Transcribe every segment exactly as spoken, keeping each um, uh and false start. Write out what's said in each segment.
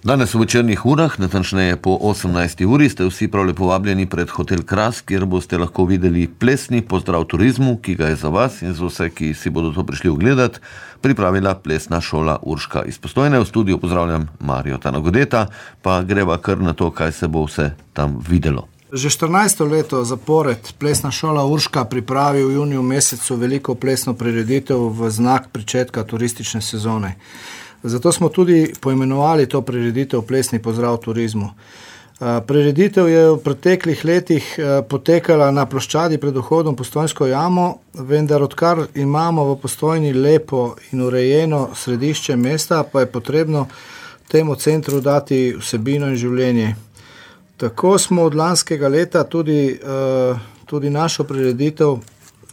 Danes v večernih urah, natančneje po osemnajsti uri, ste vsi prav lepo vabljeni pred Hotel Kras, kjer boste lahko videli plesni pozdrav turizmu, ki ga je za vas in za vse, ki si bodo to prišli ogledati, pripravila plesna šola Urška iz Postojne. V studiu pozdravljam Marijo Tanagodeta, pa greva kar na to, kaj se bo vse tam videlo. Že štirinajsto leto zapored plesna šola Urška pripravi v juniju mesecu veliko plesno prireditev v znak pričetka turistične sezone. Zato smo tudi poimenovali to prireditev Plesni pozdrav turizmu. Prireditev je v preteklih letih potekala na ploščadi pred vhodom v Postojnsko jamo, vendar odkar imamo v Postojni lepo in urejeno središče mesta, pa je potrebno temu centru dati vsebino in življenje. Tako smo od lanskega leta tudi, tudi našo prireditev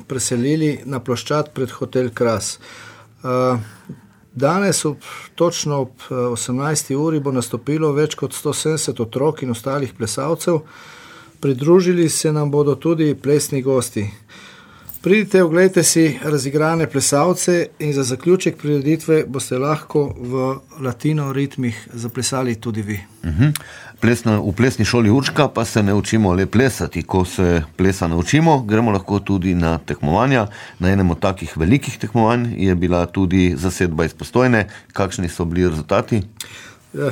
preselili na ploščad pred Hotel Kras. Danes ob, točno ob osemnajsti uri bo nastopilo več kot sto sedemdeset otrok in ostalih plesalcev. Pridružili se nam bodo tudi plesni gosti. Pridite, oglejte si razigrane plesalce in za zaključek prireditve boste lahko v latino ritmih zaplesali tudi vi. Uh-huh. Plesna, v plesni šoli Urška pa se ne učimo le plesati. Ko se plesa naučimo, gremo lahko tudi na tekmovanja. Na enem od takih velikih tekmovanj je bila tudi zasedba iz Postojne. Kakšni so bili rezultati?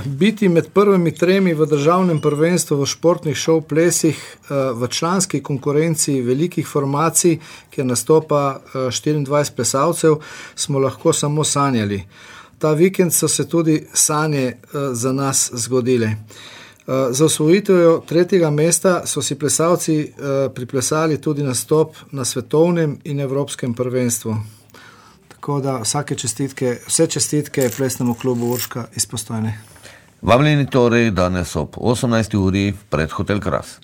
Biti med prvimi tremi v državnem prvenstvu v športnih šov plesih v članski konkurenci velikih formacij, kjer nastopa štiriindvajset plesalcev, smo lahko samo sanjali. Ta vikend so se tudi sanje za nas zgodile. Za osvojitev tretjega mesta so si plesalci priplesali tudi nastop na svetovnem in evropskem prvenstvu. Tako da vsake čestitke, vse čestitke plesnemu klubu Urška iz Postojne. Vabljeni torej danes ob osemnajsti uri pred Hotel Kras.